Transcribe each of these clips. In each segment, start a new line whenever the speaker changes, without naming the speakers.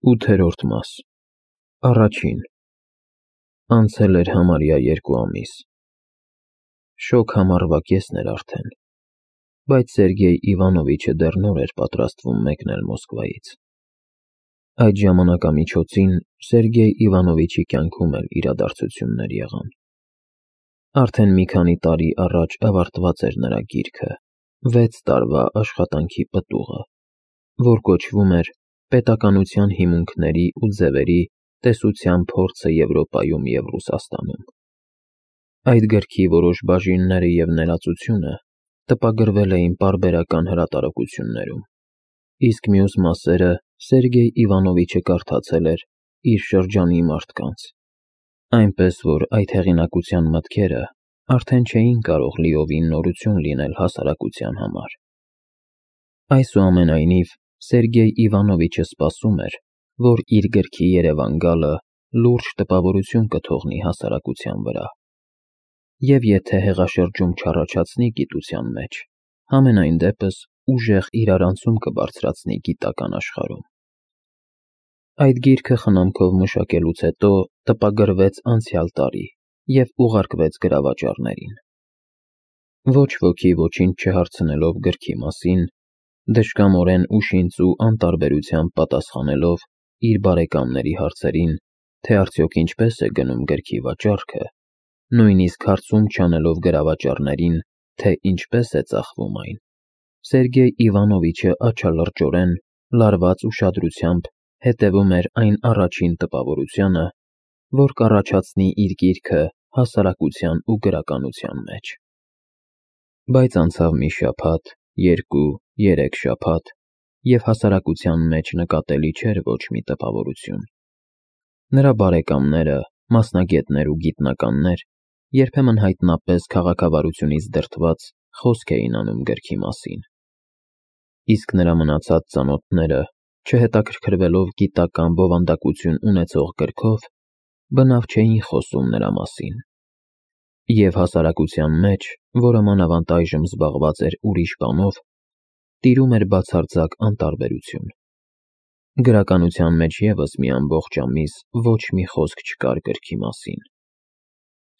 8-րդ մաս Առաջին Անցել էր համարյա 2 ամիս։ Շոգ համառվա կեսն էր արդեն, բայց Սերգեյ Իվանովիչը դեռ նոր էր պատրաստվում մեկնել Մոսկվայից։ Այդ ժամանակամիջոցին Սերգեյ Իվանովիչի կյանքում էլ իրադարձություններ եղան։ Արդեն մի քանի տարի առաջ ավարտված էր նրա գիրքը, 6 տարվա աշխատանքի պտուղը, որ կոչվում էր «Պետականության հիմունքների ու ձևերի տեսության փորձը Եվրոպայում և Ռուսաստանում»։ Այդ գրքի որոշ բաժինները և ներածությունը տպագրվել էին պարբերական հրատարակություններում, իսկ մյուս մասերը Սերգեյ Իվանովիչը կարդացել էր իր շրջանի մարդկանց, այնպես որ այդ հեղինակության մտքերը արդեն չէին կարող լիովին նորություն լինել հասարակության համար։ Այսուամենայնիվ, Սերգեյ Իվանովիչը սպասում էր, որ իր գրքի երևան գալը լուրջ տպավորություն կթողնի հասարակության վրա, և եթե հեղաշրջում չառաջացնի գիտության մեջ, համենայն դեպս ուժեղ իրարանցում կբարձրացնի գիտական աշխարհում։ Այդ գիրքը խնամքով մշակելուց հետո տպագրվեց անցյալ տարի և ուղարկվեց գրավաճառներին։ Ոչ ոքի ոչինչ չհարցնելով գրքի մասին, դժկամորեն ուշինց ու անտարբերությամբ պատասխանելով իր բարեկամների հարցերին, թե արդյոք ինչպես է գնում գրքի վաճառքը, նույնիսկ հարցում չանելով գրավաճառներին, թե ինչպես է ծախվում այն, Սերգեյ Իվանովիչը աչալրջորեն, լարված ուշադրությամբ հետևում էր այն առաջին տպավորությանը, որ կառաջացնի իր գիրքը հասարակության ու գրականության մեջ։ Բայց անցավ մի շաբաթ, 2, 3 շաբաթ, և հասարակության մեջ նկատելի չէր ոչ մի տպավորություն։ Նրա բարեկամները, մասնագետներ ու գիտնականներ երբեմն հայտնապես քաղաքավարությունից դրդված խոսք էին անում գրքի մասին, իսկ նրա մնացած ծանոթները, չհետաքրքրվելով գիտական բովանդակություն ունեցող գրքով, բնավ չէին խոսում նրա մասին։ Եվ հասարակության մեջ, որը մանավանդ այժմ զբաղված էր ուրիշ բանով, տիրում էր բացարձակ անտարբերություն։ Գրականության մեջ ևս մի ամբողջ ամիս ոչ մի խոսք չկար գրքի մասին։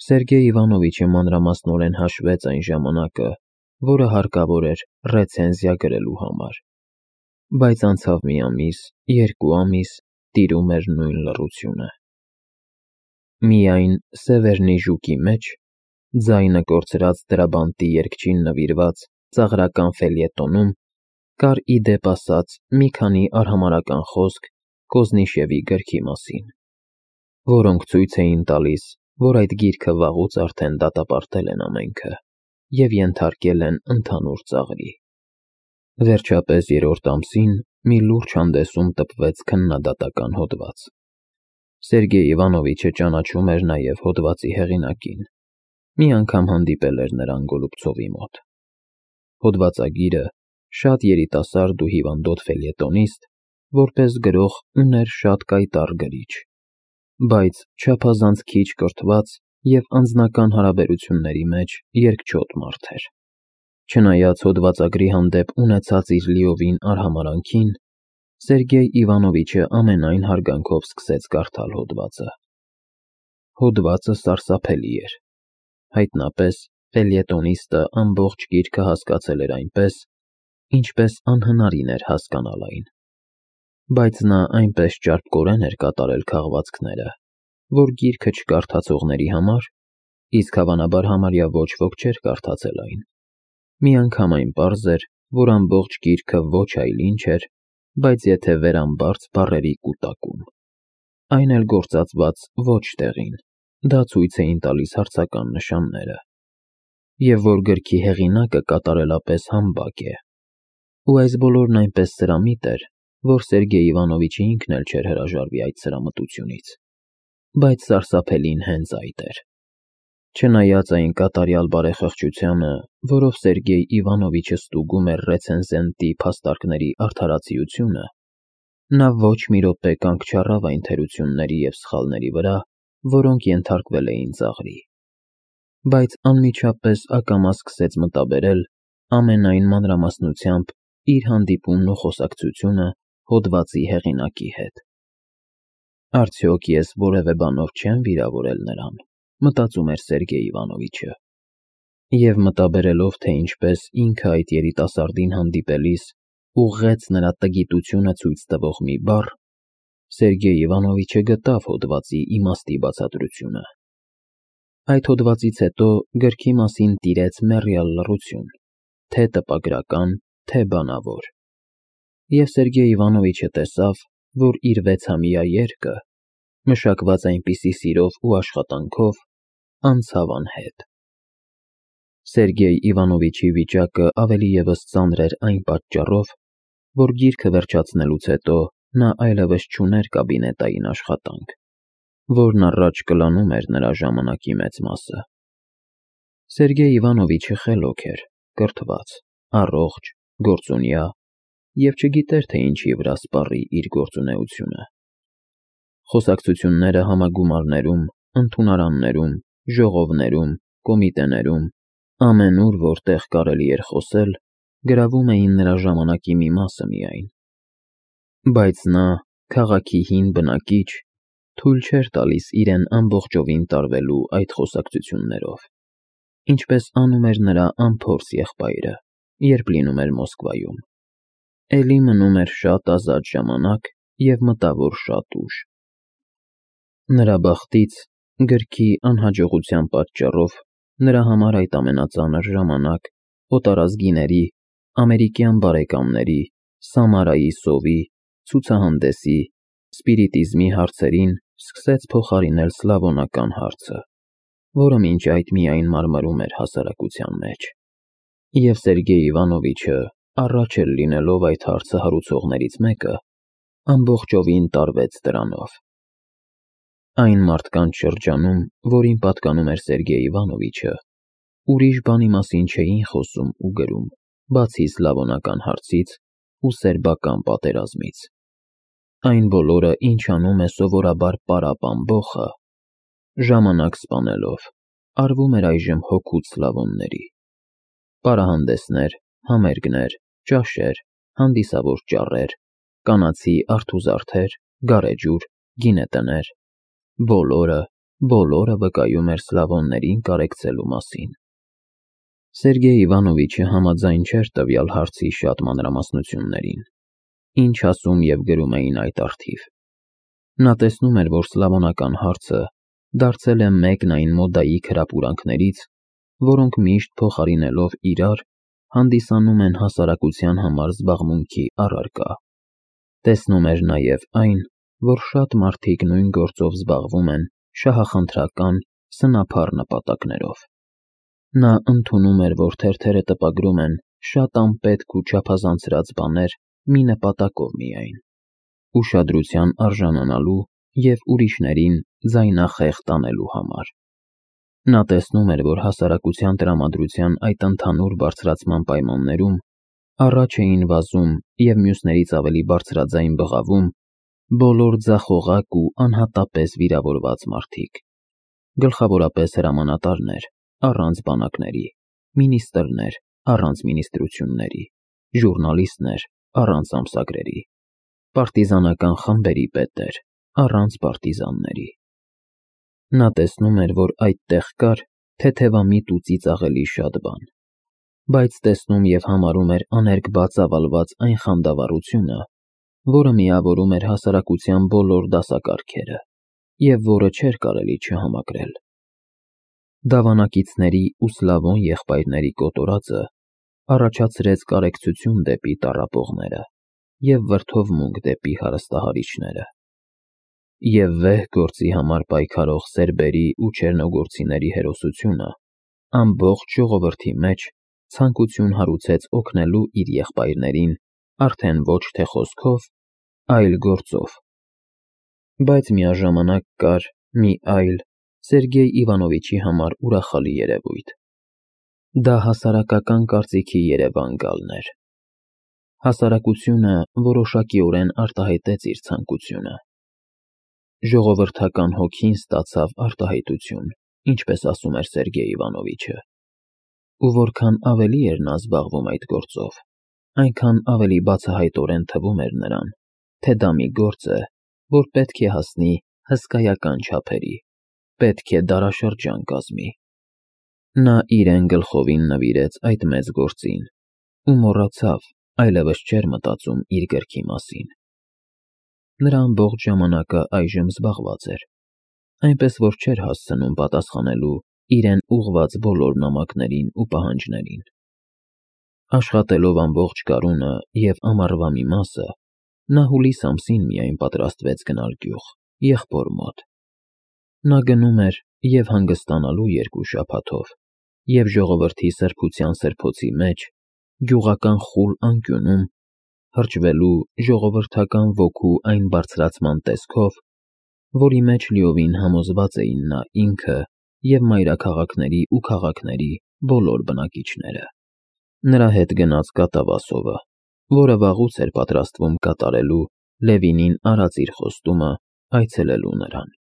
Սերգեյ Իվանովիչը մանրամասնորեն հաշվեց այն ժամանակը, որը հարկավոր էր ռեցենզիա գրելու համար, բայց անցավ մի ամիս, 2 ամիս, տիրում էր նույն լռությունը։ Միայն Սևերնի Ժուկի մեջ, ձայնը կորցրած Տրաբանտի երգչին նվիրված ծաղրական ֆելյետոնում կար ի դեպ ասած մի քանի արհամարհական խոսք Կոզնիշևի գրքի մասին, որոնք ցույց էին տալիս, որ այդ գիրքը վաղուց արդեն դատապարտել են ամենքը և ենթարկել են ընդհանուր ծաղրի։ Վերջապես 3-րդ ամսին մի լուրջ հանդեսում տպվեց քննադատական հոդված։ Սերգեյ Իվանովիչը ճանաչում էր նաև հոդվածի հեղինակին, մի անգամ հանդիպել էր նրան Գոլուբցովի մոտ։ Հոդվածագիրը, շատ երիտասարդ ու հիվանդոտ ֆելյետոնիստ, որպես գրող ուներ շատ կայտառ գրիչ, բայց չափազանց քիչ կրթված և անձնական հարաբերությունների մեջ երկչոտ մարդ էր։ Չնայած հոդվածագրի հանդեպ ունեցած իր լիովին արհամարհանքին, Սերգեյ Իվանովիչը ամենայն հարգանքով սկսեց կարդալ հոդվածը։ Հոդվածը սարսափելի էր։ Հայտնապես ֆելյետոնիստը ամբողջ գիրքը հասկացել էր այնպես, ինչպես անհնարին էր հասկանալ այն։ Բայց նա այնպես ճարպկորեն էր կատարել քաղվածքները, որ գիրքը չկարդացողների համար, իսկ հավանաբար համարյա ոչ ոք չէր կարդացել այն, միանգամայն պարզ էր, որ ամբողջ գիրքը ոչ այլ ինչ էր, բայց եթե վերամբարձ բառերի կուտակում, այն էլ գործածված ոչ տեղին, դա ցույց էին տալիս հարցական նշանները, և որ գրքի հեղինակը կատարելապես համբակ է։ Ու այս բոլորն այնպես սրամիտ էր, որ Սերգեյ Իվանովիչը ինքն էլ չէր հրաժարվի այդ սրամտությունից, բայց սարսափելին հենց այդ էր։ Չնայած այն կատարյալ բարեխղճությանը, որով Սերգեյ Իվանովիչը ստուգում էր ռեցենզենտի փաստարկների արդարացիությունը, նա ոչ մի րոպե կանգ չառավ այն թերությունների և սխալների վրա, որոնք ենթարկվել էին ծաղրի, բայց անմիջապես ակամա սկսեց մտաբերել ամենայն մանրամասնությամբ իր հանդիպումն ու խոսակցությունը հոդվածի հեղինակի հետ։ Արդյոք ես որևէ բանով չեմ վիրավորել նրան, մտածում էր Սերգեյ Իվանովիչը, և մտաբերելով, թե ինչպես ինքը այդ երիտասարդին հանդիպելիս ուղղեց նրա տգիտությունը ցույց տվող մի բառ, Սերգեյ Իվանովիչը գտավ հոդվածի իմաստի բացատրությունը։ Այդ հոդվածից հետո գրքի մասին տիրեց մեռյալ լռություն, թե տպագրական, թե բանավոր, և Սերգեյ Իվանովիչը տեսավ, որ իր 6-ամյա երգը, մշակված այնպիսի սիրով ու աշխատանքով, անցավ անհետ։ Սերգեյ Իվանովիչի վիճակը ավելի ևս ծանր էր այն պատճառով, որ գիրքը վերջացնելուց հետո նա այլևս չուներ կաբինետային աշխատանք, որն առաջ կլանում էր նրա ժամանակի մեծ մասը։ Սերգեյ Իվանովիչը խելոք էր, կրթված, առողջ, գործունյա և չգիտեր, թե ինչի վրա սպառի իր գործունեությունը։ Խոսակցությունները համագումարներում, ընդունարաններում, ժողովներում, կոմիտեներում, ամենուր, որտեղ կարելի էր խոսել, գրավում էին նրա ժամանակի մի մասը միայն։ Բայց նա, քաղաքի հին բնակիչ, թույլ չէր տալիս իրեն ամբողջովին տարվելու այդ խոսակցություններով, ինչպես անում էր նրա անփորձ եղբայրը, երբ լինում էր Մոսկվայում։ Էլի մնում էր շատ ազատ ժամանակ և մտավոր շատ ուժ։ Նրա բախտից, գրքի անհաջողության պատճառով, նրա համար այդ ամենածանր ժամանակ օտարազգիների, ամերիկյան բարեկամների, Սամարայի սովի, ցուցահանդեսի, սպիրիտիզմի հարցերին սկսեց փոխարինել սլավոնական հարցը, որը մինչ այդ միայն մարմրում էր հասարակության մեջ։ Եվ Սերգեյ Իվանովիչը, առաջ էլ լինելով այդ հարցը հարուցողներից մեկը, ամբողջովին տարվեց դրանով։ Այն մարդկանց շրջանում, որին պատկանում էր Սերգեյ Իվանովիչը, ուրիշ բանի մասին չէին խոսում ու գրում, բացի սլավոնական հարցից ու սերբական պատերազմից։ Այն բոլորը, ինչ անում է սովորաբար պարապ ամբոխը, ժամանակ սպանելով, արվում էր այժմ հօգուտ սլավոնների։ Պարահանդեսներ, համերգներ, ճաշեր, հանդիսավոր ճառեր, կանացի արթուզարդեր, գարեջուր, գինետներ, բոլորը վկայում էր սլավոններին կարեկցելու մասին։ Սերգեյ Իվանովիչը համաձայն չէր տվյալ հարցի շատ մանրամասնություններին, ինչ ասում և գրում էին այդ առթիվ։ Նա տեսնում էր, որ սլավոնական հարցը դարձել է մեկն այն մոդայի քրապուրանքներից, որոնք միշտ փոխարինելով իրար, հանդիսանում են հասարակության համար զբաղմունքի առարկա։ Տեսնում էր նաև այն, որ շատ մարդիկ նույն գործով զբաղվում են շահախնդրական, սնափառ նպատակներով։ Նա ընդունում էր, որ թերթերը տպագրում են շատ անպետք ու չափազանցրած բաներ մի նպատակով միայն՝ ուշադրության արժանանալու և ուրիշներին ձայնախեղ տանելու համար։ Նա տեսնում էր, որ հասարակության տրամադրության այդ ընդհանուր բարձրացման պայմաններում առաջ էին վազում և մյուսներից ավելի բարձրաձայն բղավում բոլոր ձախողակ ու անհատապես վիրավորված մարդիկ, գլխավորապես հրամանատարներ, առանց բանակների, մինիստրներ, առանց մինիստրությունների, ժուռնալիստներ, առանց ամսագրերի, պարտիզանական խմբերի պետեր, առանց պարտիզանների։ Նա տեսնում էր, որ այդտեղ կար թեթևամիտ ու ծիծաղելի շատ բան, բայց տեսնում և համարում էր աներկբա ծավալված այն խանդավառությունը, որը միավորում էր հասարակության բոլոր դասակարգերը և որը չէր կարելի չհամակրել։ Դավանակիցների ու սլավոն եղբայրների կոտորածը առաջացրեց կարեկցություն դեպի տառապողները և վրդովմունք դեպի հարստահարիչները։ Եվ վեհ գործի համար պայքարող սերբերի ու չեռնոգորցիների հերոսությունը ամբողջ ժողովրդի մեջ ցանկություն հարուցեց օգնելու իր եղբայրներին արդեն ոչ թե խոսքով, այլ գործով։ Բայց միաժամանակ կար մի այլ, Սերգեյ Իվանովիչի համար ուրախալի երևույթ։ Դա հասարակական կարծիքի երևան գալն էր։ Հասարակությունը որոշակիորեն արտահայտեց իր ցանկությունը։ Ժողովրդական հոգին ստացավ արտահայտություն, ինչպես ասում էր Սերգեյ Իվանովիչը։ Ու որքան ավելի էր նա զբաղվում այդ գործով, այնքան ավելի բացահայտորեն թվում էր նրան, թե դա մի գործ է, որ պետք է հասնի հսկայական չափերի, պետք է դարաշրջան կազմի։ Նա իրեն գլխովին նվիրեց այդ մեծ գործին ու մոռացավ, այլևս չէր մտածում իր գրքի մասին։ Նրա ամբողջ ժամանակը այժմ զբաղված էր, այնպես որ չէր հասցնում պատասխանելու իրեն ուղղված բոլոր նամակներին ու պահանջներին։ Աշխատելով ամբողջ գարունը և ամառվա մի մասը, նա հուլիս ամսին միայն պատրաստվեց գնալ գյուղ, եղբոր մոտ։ Նա գնում էր և հանգստանալու 2 շաբաթով, և ժողովրդի սրբության սրբոցի մեջ, գյուղական խուլ անկյունում, հրճվելու ժողովրդական ոգու այն բարձրացման տեսքով, որի մեջ լիովին համոզված էին նա ինքը և մայրաքաղաքների ու քաղաքների բոլոր բնակիչները։ Նրա հետ գնաց կատավասովը, որը վաղուց էր պատրաստվում կատարելու Լևինին արած իր խոստումը այցելելու նրան։